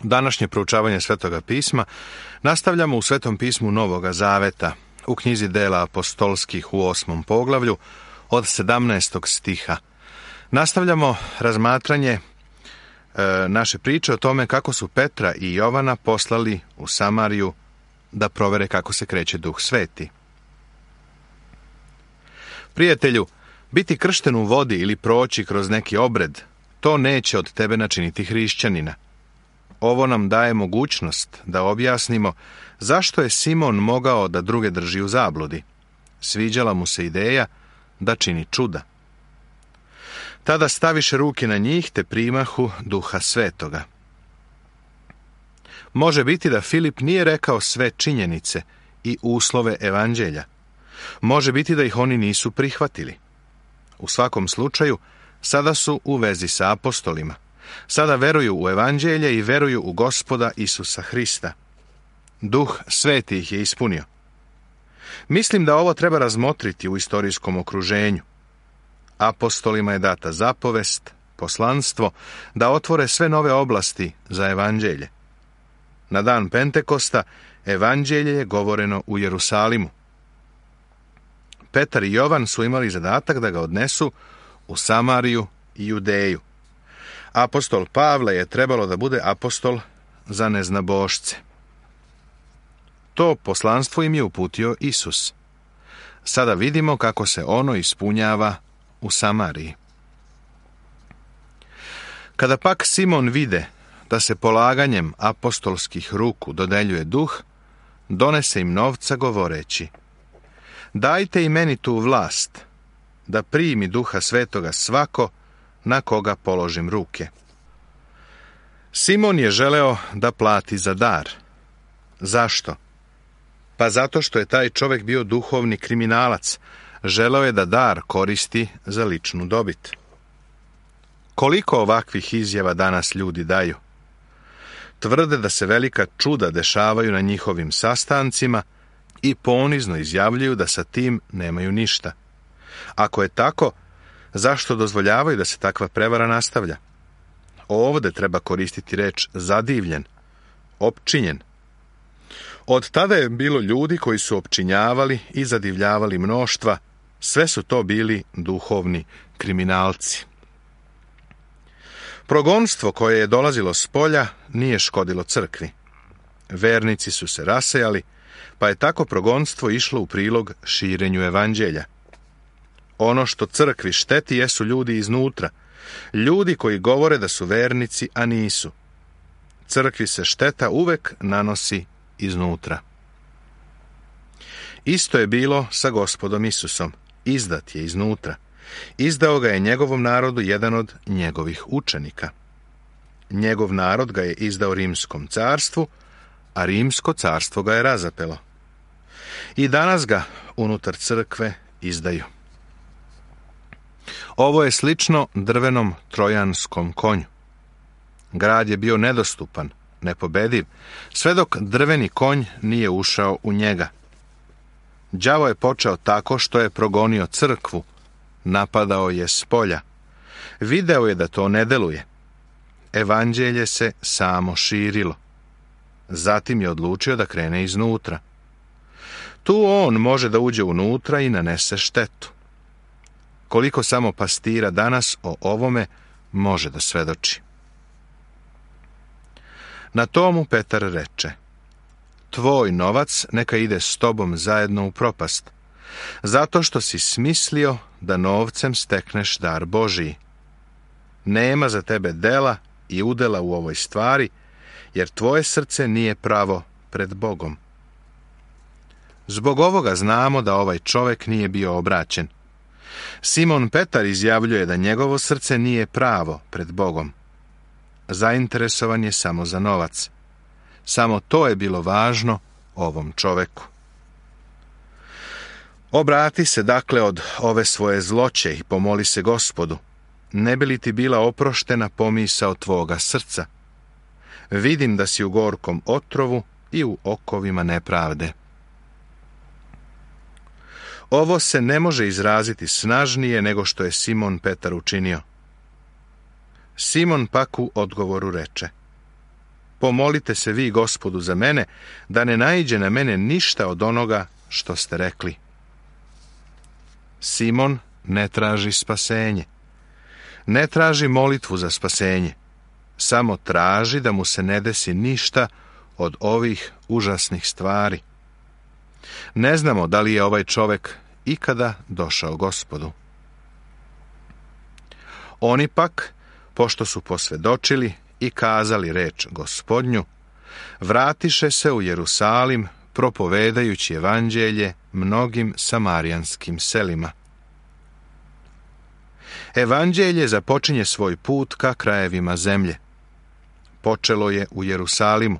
Današnje proučavanje Svetoga pisma nastavljamo u Svetom pismu Novoga Zaveta, u knjizi Dela apostolskih u 8. poglavlju od 17. stiha. Nastavljamo razmatranje naše priče o tome kako su Petra i Jovana poslali u Samariju da provere kako se kreće Duh Sveti. Prijatelju, biti kršten u vodi ili proći kroz neki obred, to neće od tebe načiniti hrišćanina. Ovo nam daje mogućnost da objasnimo zašto je Simon mogao da druge drži u zabludi. Sviđala mu se ideja da čini čuda. Tada staviše ruke na njih te primahu Duha Svetoga. Može biti da Filip nije rekao sve činjenice i uslove evanđelja. Može biti da ih oni nisu prihvatili. U svakom slučaju, sada su u vezi sa apostolima. Sada veruju u evanđelje i veruju u Gospoda Isusa Hrista. Duh Sveti ih je ispunio. Mislim da ovo treba razmotriti u istorijskom okruženju. Apostolima je data zapovest, poslanstvo, da otvore sve nove oblasti za evanđelje. Na dan Pentekosta evanđelje je govoreno u Jerusalimu. Petar i Jovan su imali zadatak da ga odnesu u Samariju i Judeju. Apostol Pavle je trebalo da bude apostol za neznabošce. To poslanstvo im je uputio Isus. Sada vidimo kako se ono ispunjava u Samariji. Kada pak Simon vide da se polaganjem apostolskih ruku dodeljuje duh, donese im novca govoreći: dajte i meni tu vlast, da primi Duha Svetoga svako na koga položim ruke. Simon je želeo da plati za dar. Zašto? Pa zato što je taj čovjek bio duhovni kriminalac. Želeo je da dar koristi za ličnu dobit. Koliko ovakvih izjava danas ljudi daju? Tvrde da se velika čuda dešavaju na njihovim sastancima i ponizno izjavljuju da sa tim nemaju ništa. Ako je tako, zašto dozvoljavaju da se takva prevara nastavlja? Ovdje treba koristiti reč zadivljen, opčinjen. Od tada je bilo ljudi koji su opčinjavali i zadivljavali mnoštva. Sve su to bili duhovni kriminalci. Progonstvo koje je dolazilo s polja nije škodilo crkvi. Vernici su se rasejali, pa je tako progonstvo išlo u prilog širenju evanđelja. Ono što crkvi šteti jesu ljudi iznutra, ljudi koji govore da su vernici, a nisu. Crkvi se šteta uvek nanosi iznutra. Isto je bilo sa Gospodom Isusom. Izdat je iznutra. Izdao ga je njegovom narodu jedan od njegovih učenika. Njegov narod ga je izdao Rimskom carstvu, a Rimsko carstvo ga je razapelo. I danas ga unutar crkve izdaju. Ovo je slično drvenom trojanskom konju. Grad je bio nedostupan, nepobediv, sve dok drveni konj nije ušao u njega. Đavo je počeo tako što je progonio crkvu, napadao je s polja. Video je da to ne deluje. Evanđelje se samo širilo. Zatim je odlučio da krene iznutra. Tu on može da uđe unutra i nanese štetu. Koliko samo pastira danas o ovome može da svedoči. Na tomu Petar reče: tvoj novac neka ide s tobom zajedno u propast, zato što si smislio da novcem stekneš dar Božiji. Nema za tebe dela i udela u ovoj stvari, jer tvoje srce nije pravo pred Bogom. Zbog ovoga znamo da ovaj čovjek nije bio obraćen. Simon Petar izjavljuje da njegovo srce nije pravo pred Bogom. Zainteresovan je samo za novac. Samo to je bilo važno ovom čoveku. Obrati se dakle od ove svoje zloće i pomoli se Gospodu, ne bi li ti bila oproštena pomisao tvoga srca. Vidim da si u gorkom otrovu i u okovima nepravde. Ovo se ne može izraziti snažnije nego što je Simon Petar učinio. Simon pak u odgovoru reče: Pomolite se vi Gospodu za mene, da ne naiđe na mene ništa od onoga što ste rekli. Simon ne traži spasenje. Ne traži molitvu za spasenje. Samo traži da mu se ne desi ništa od ovih užasnih stvari. Ne znamo da li je ovaj čovjek ikada došao Gospodu. Oni pak, pošto su posvjedočili i kazali reč Gospodnju, vratiše se u Jerusalim, propovedajući evanđelje mnogim samarijanskim selima. Evanđelje započinje svoj put ka krajevima zemlje. Počelo je u Jerusalimu.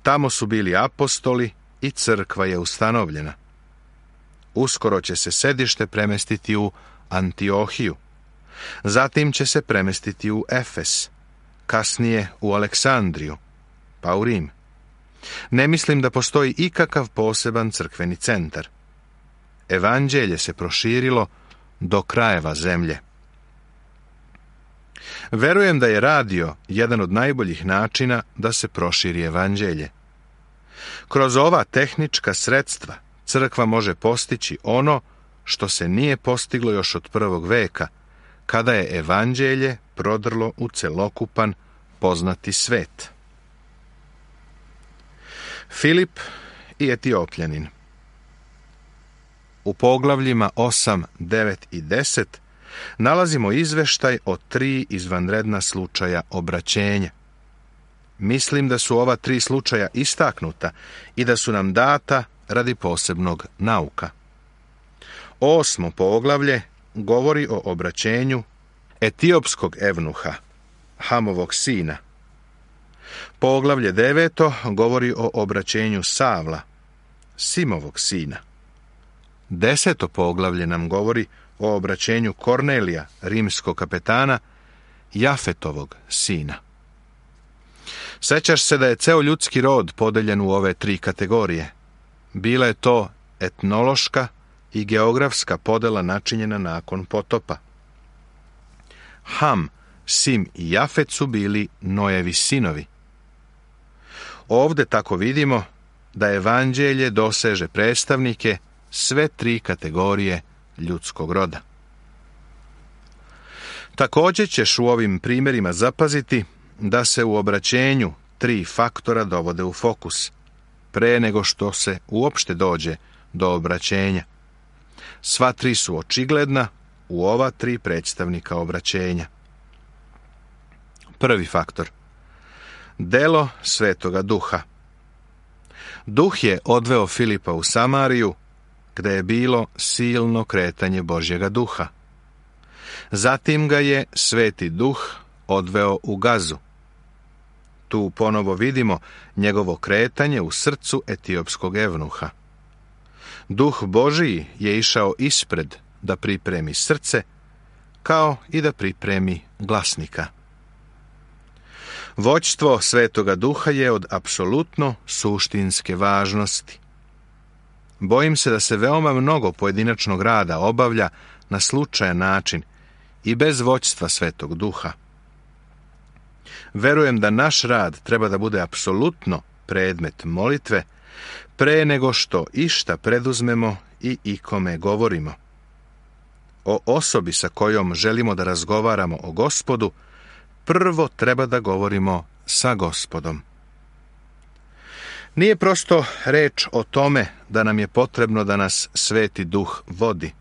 Tamo su bili apostoli i crkva je ustanovljena. Uskoro će se sedište premestiti u Antiohiju. Zatim će se premestiti u Efes, kasnije u Aleksandriju, pa u Rim. Ne mislim da postoji ikakav poseban crkveni centar. Evanđelje se proširilo do krajeva zemlje. Verujem da je radio jedan od najboljih načina da se proširi evanđelje. Kroz ova tehnička sredstva crkva može postići ono što se nije postiglo još od 1. veka, kada je evanđelje prodrlo u celokupan poznati svet. Filip i Etiopljanin. U poglavljima 8, 9 i 10 nalazimo izveštaj o 3 izvanredna slučaja obraćenja. Mislim da su ova 3 slučaja istaknuta i da su nam data radi posebnog nauka. 8. poglavlje govori o obraćenju etiopskog evnuha, Hamovog sina. Poglavlje 9. govori o obraćenju Savla, Simovog sina. 10. poglavlje nam govori o obraćenju Kornelija, rimskog kapetana, Jafetovog sina. Sećaš se da je ceo ljudski rod podeljen u ove 3 kategorije. Bila je to etnološka i geografska podela načinjena nakon potopa. Ham, Sim i Jafet su bili Noevi sinovi. Ovde tako vidimo da evanđelje doseže predstavnike sve 3 kategorije ljudskog roda. Također ćeš u ovim primjerima zapaziti da se u obraćenju 3 faktora dovode u fokus, pre nego što se uopšte dođe do obraćenja. Sva 3 su očigledna u ova 3 predstavnika obraćenja. Prvi faktor. Delo Svetoga Duha. Duh je odveo Filipa u Samariju, gde je bilo silno kretanje Božjega duha. Zatim ga je Sveti Duh odveo u Gazu. Tu ponovo vidimo njegovo kretanje u srcu etiopskog evnuha. Duh Božiji je išao ispred da pripremi srce, kao i da pripremi glasnika. Vođstvo Svetoga Duha je od apsolutno suštinske važnosti. Bojim se da se veoma mnogo pojedinačnog rada obavlja na slučajan način i bez vođstva Svetog Duha. Verujem da naš rad treba da bude apsolutno predmet molitve pre nego što išta preduzmemo i ikome govorimo. O osobi sa kojom želimo da razgovaramo o Gospodu, prvo treba da govorimo sa Gospodom. Nije prosto reč o tome da nam je potrebno da nas Sveti Duh vodi.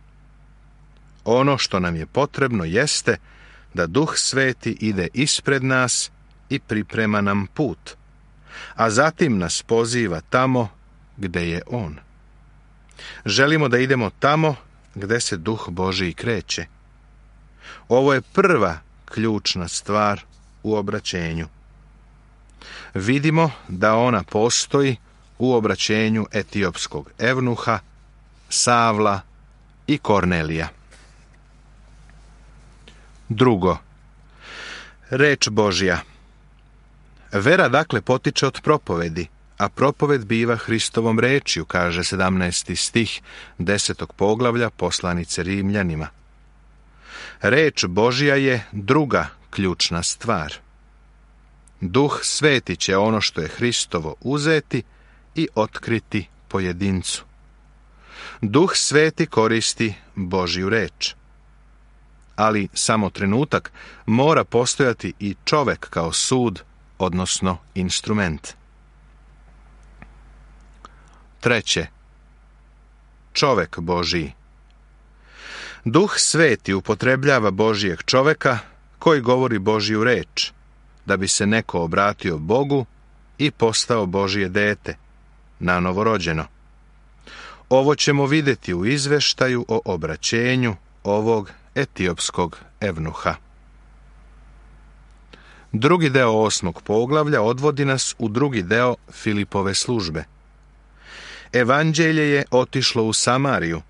Ono što nam je potrebno jeste da Duh Sveti ide ispred nas i priprema nam put, a zatim nas poziva tamo gde je On. Želimo da idemo tamo gde se Duh Božiji kreće. Ovo je prva ključna stvar u obraćenju. Vidimo da ona postoji u obraćenju etiopskog evnuha, Savla i Kornelija. Drugo, reč Božja. Vera dakle potiče od propovedi, a propoved biva Hristovom rečju, kaže 17. stih 10. poglavlja poslanice Rimljanima. Reč Božja je druga ključna stvar. Duh Sveti će ono što je Hristovo uzeti i otkriti pojedincu. Duh Sveti koristi Božju reč. Ali samo trenutak mora postojati i čovek kao sud, odnosno instrument. Treće, čovek Božiji. Duh Sveti upotrebljava Božijeg čoveka koji govori Božju reč, da bi se neko obratio Bogu i postao Božje dete, nanovorođeno. Ovo ćemo vidjeti u izveštaju o obraćenju ovog etiopskog evnuha. Drugi deo 8. poglavlja odvodi nas u drugi deo Filipove službe. Evanđelje je otišlo u Samariju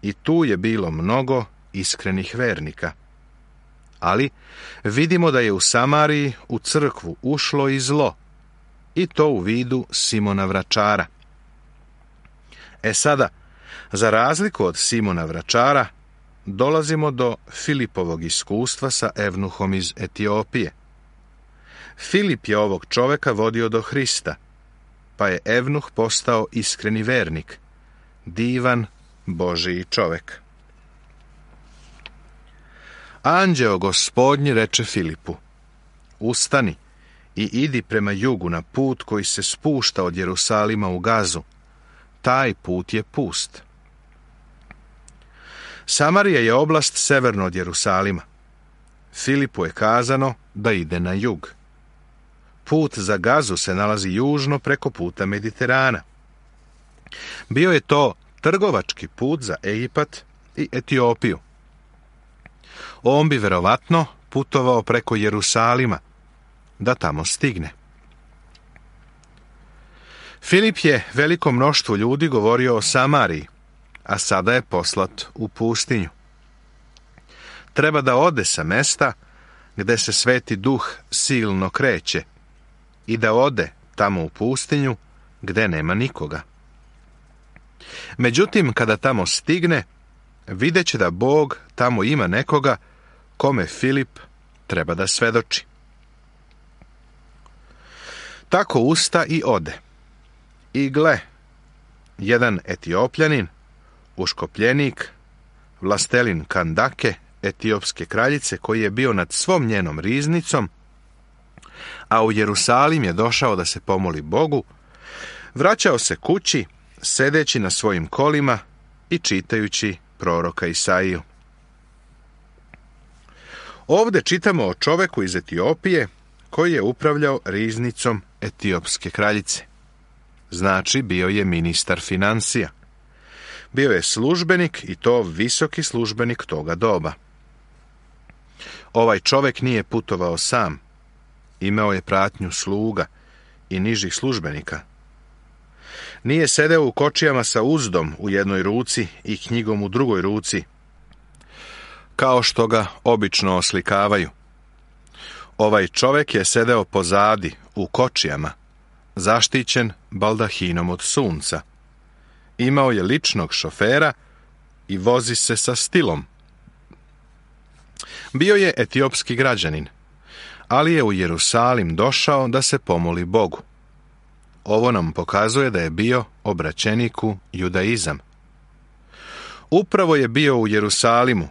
i tu je bilo mnogo iskrenih vernika. Ali vidimo da je u Samariji u crkvu ušlo i zlo, i to u vidu Simona Vračara. Sada, za razliku od Simona Vračara, dolazimo do Filipovog iskustva sa evnuhom iz Etiopije. Filip je ovog čoveka vodio do Hrista, pa je evnuh postao iskreni vernik, divan Božiji čovek. Anđeo Gospodnji reče Filipu: ustani i idi prema jugu na put koji se spušta od Jerusalima u Gazu. Taj put je pust. Samarija je oblast severno od Jerusalima. Filipu je kazano da ide na jug. Put za Gazu se nalazi južno preko puta Mediterana. Bio je to trgovački put za Egipat i Etiopiju. On bi verovatno putovao preko Jerusalima, da tamo stigne. Filip je velikom mnoštvu ljudi govorio o Samariji, a sada je poslat u pustinju. Treba da ode sa mesta gde se Sveti Duh silno kreće i da ode tamo u pustinju gde nema nikoga. Međutim, kada tamo stigne, vidjet će da Bog tamo ima nekoga kome Filip treba da svedoči. Tako usta i ode. I gle, jedan Etiopljanin, uškopljenik, vlastelin Kandake, etiopske kraljice, koji je bio nad svom njenom riznicom, a u Jerusalim je došao da se pomoli Bogu, vraćao se kući, sedeći na svojim kolima i čitajući proroka Isaiju. Ovde čitamo o čoveku iz Etiopije koji je upravljao riznicom etiopske kraljice. Znači, bio je ministar finansija. Bio je službenik, i to visoki službenik toga doba. Ovaj čovek nije putovao sam. Imao je pratnju sluga i nižih službenika. Nije sedeo u kočijama sa uzdom u jednoj ruci i knjigom u drugoj ruci, kao što ga obično oslikavaju. Ovaj čovek je sedeo pozadi, u kočijama, zaštićen baldahinom od sunca. Imao je ličnog šofera i vozi se sa stilom. Bio je etiopski građanin, ali je u Jerusalim došao da se pomoli Bogu. Ovo nam pokazuje da je bio obraćenik u judaizam. Upravo je bio u Jerusalimu,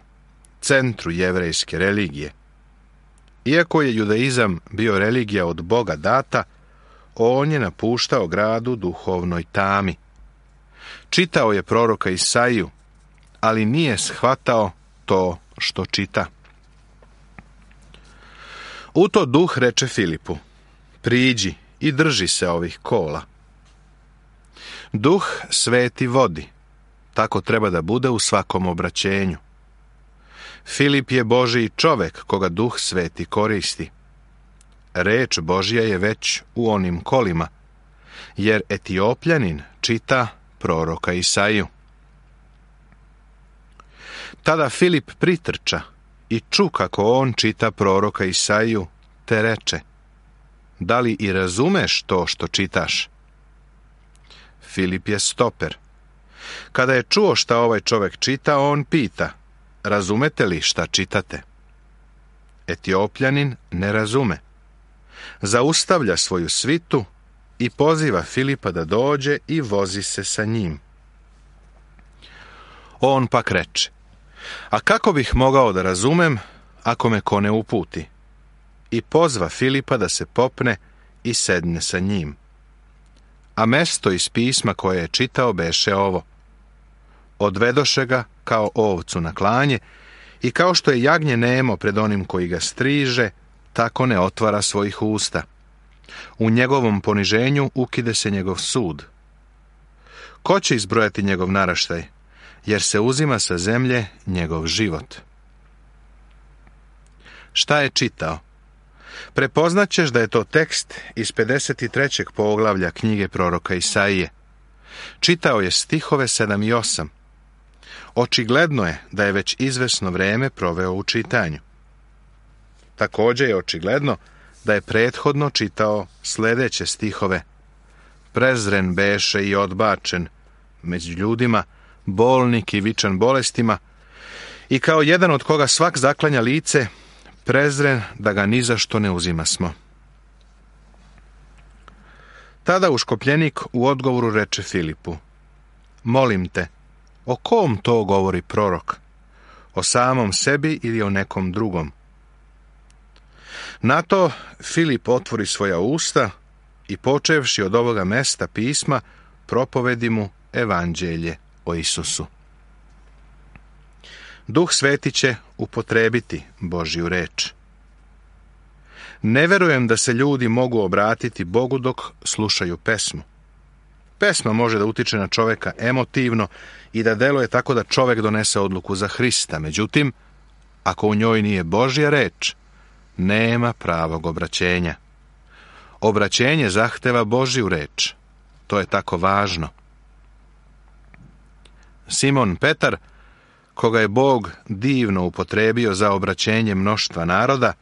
centru jevrejske religije. Iako je judaizam bio religija od Boga data, on je napuštao grad u duhovnoj tami. Čitao je proroka Isaiju, ali nije shvatao to što čita. U to Duh reče Filipu: priđi i drži se ovih kola. Duh Sveti vodi. Tako treba da bude u svakom obraćenju. Filip je Božiji čovek koga Duh Sveti koristi. Reč Božja je već u onim kolima, jer Etiopljanin čita proroka Isaiju. Tada Filip pritrča i ču kako on čita proroka Isaiju, te reče: da li i razumeš to što čitaš? Filip je stoper. Kada je čuo šta ovaj čovek čita, on pita: razumete li šta čitate? Etiopljanin ne razume. zaustavlja svoju svitu i poziva Filipa da dođe i vozi se sa njim. On pak reče: a kako bih mogao da razumem ako me ko ne uputi? I pozva Filipa da se popne i sedne sa njim. A mesto iz pisma koje je čitao beše ovo: odvedoše ga kao ovcu na klanje, i kao što je jagnje nemo pred onim koji ga striže, tako ne otvara svojih usta. U njegovom poniženju ukide se njegov sud. Ko će izbrojati njegov naraštaj, jer se uzima sa zemlje njegov život? Šta je čitao? Prepoznaćeš da je to tekst iz 53. poglavlja knjige proroka Isaije. Čitao je stihove 7 i 8. Očigledno je da je već izvesno vreme proveo u čitanju. Također je očigledno da je prethodno čitao sljedeće stihove: prezren beše i odbačen među ljudima, bolnik i vičan bolestima, i kao jedan od koga svak zaklanja lice, prezren da ga ni za što ne uzimasmo. Tada uškopljenik u odgovoru reče Filipu: molim te, o kom to govori prorok? O samom sebi ili o nekom drugom? Na to Filip otvori svoja usta i počevši od ovoga mesta pisma, propovedi mu evanđelje o Isusu. Duh Sveti će upotrebiti Božju reč. Ne verujem da se ljudi mogu obratiti Bogu dok slušaju pesmu. Pesma može da utiče na čovjeka emotivno i da deluje tako da čovjek donese odluku za Hrista. Međutim, ako u njoj nije Božja reč, nema pravog obraćenja. Obraćenje zahteva Božju reč. To je tako važno. Simon Petar, koga je Bog divno upotrebio za obraćenje mnoštva naroda,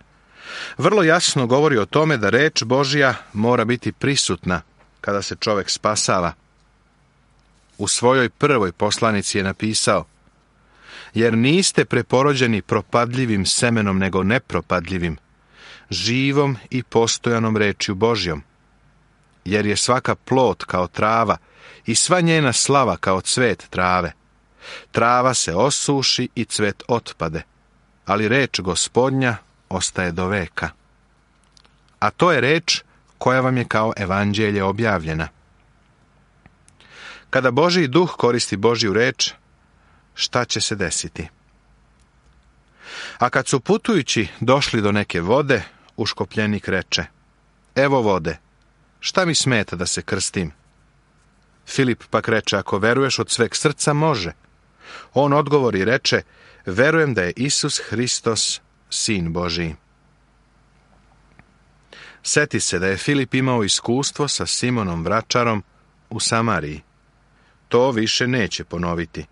vrlo jasno govori o tome da reč Božja mora biti prisutna kada se čovjek spasava. U svojoj prvoj poslanici je napisao: jer niste preporođeni propadljivim semenom, nego nepropadljivim, živom i postojanom rečju Božjom. Jer je svaka plod kao trava i sva njena slava kao cvet trave. Trava se osuši i cvet otpade, ali reč Gospodnja ostaje do veka. A to je reč koja vam je kao evanđelje objavljena. Kada Božji duh koristi Božju reč, šta će se desiti? A kad su putujući došli do neke vode, uškopljenik reče: evo vode, šta mi smeta da se krstim? Filip pak reče: ako veruješ od sveg srca, može. On odgovori i reče: verujem da je Isus Hristos, Sin Božiji. Seti se da je Filip imao iskustvo sa Simonom vračarom u Samariji. To više neće ponoviti.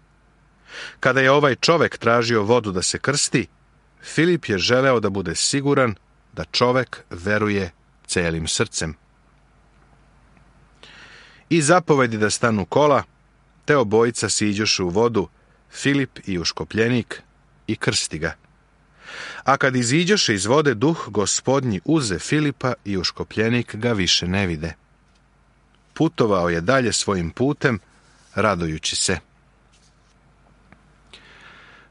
Kada je ovaj čovjek tražio vodu da se krsti, Filip je želeo da bude siguran da čovjek veruje celim srcem. I zapovedi da stanu kola, te obojica siđoše u vodu, Filip i uškopljenik, i krsti ga. A kad iziđoše iz vode, duh Gospodnji uze Filipa i uškopljenik ga više ne vide. Putovao je dalje svojim putem, radujući se.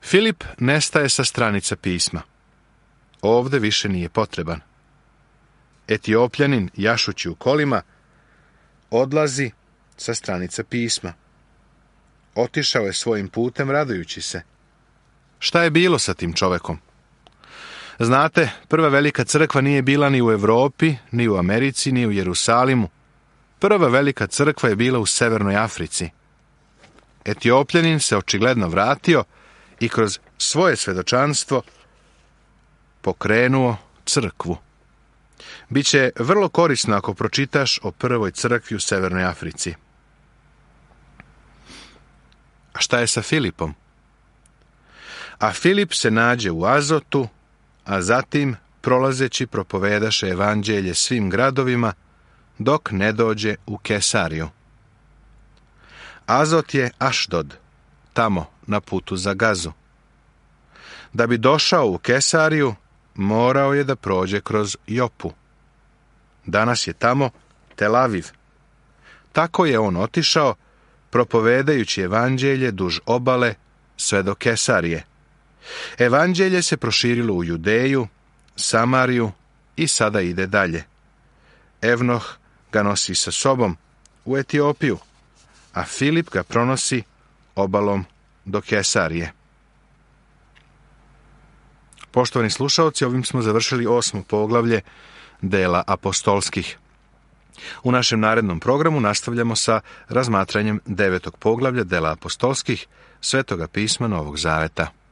Filip nestaje sa stranica pisma. Ovde više nije potreban. Etiopljanin, jašući u kolima, odlazi sa stranica pisma. Otišao je svojim putem radujući se. Šta je bilo sa tim čovekom? Znate, prva velika crkva nije bila ni u Europi, ni u Americi, ni u Jerusalimu. Prva velika crkva je bila u Severnoj Africi. Etiopljanin se očigledno vratio i kroz svoje svedočanstvo pokrenuo crkvu. Biće vrlo korisno ako pročitaš o prvoj crkvi u Severnoj Africi. A šta je sa Filipom? A Filip se nađe u Azotu, a zatim, prolazeći, propovedaše evanđelje svim gradovima, dok ne dođe u Kesariju. Azot je Ašdod, tamo na putu za Gazu. Da bi došao u Kesariju, morao je da prođe kroz Jopu. Danas je tamo Tel Aviv. Tako je on otišao, propovedajući evanđelje duž obale sve do Kesarije. Evanđelje se proširilo u Judeju, Samariju i sada ide dalje. Evnoh ga nosi sa sobom u Etiopiju, a Filip ga pronosi obalom do Kesarije. Poštovani slušaoci, ovim smo završili 8. poglavlje dela apostolskih. U našem narednom programu nastavljamo sa razmatranjem 9. poglavlja dela apostolskih, Svetoga pisma Novog Zaveta.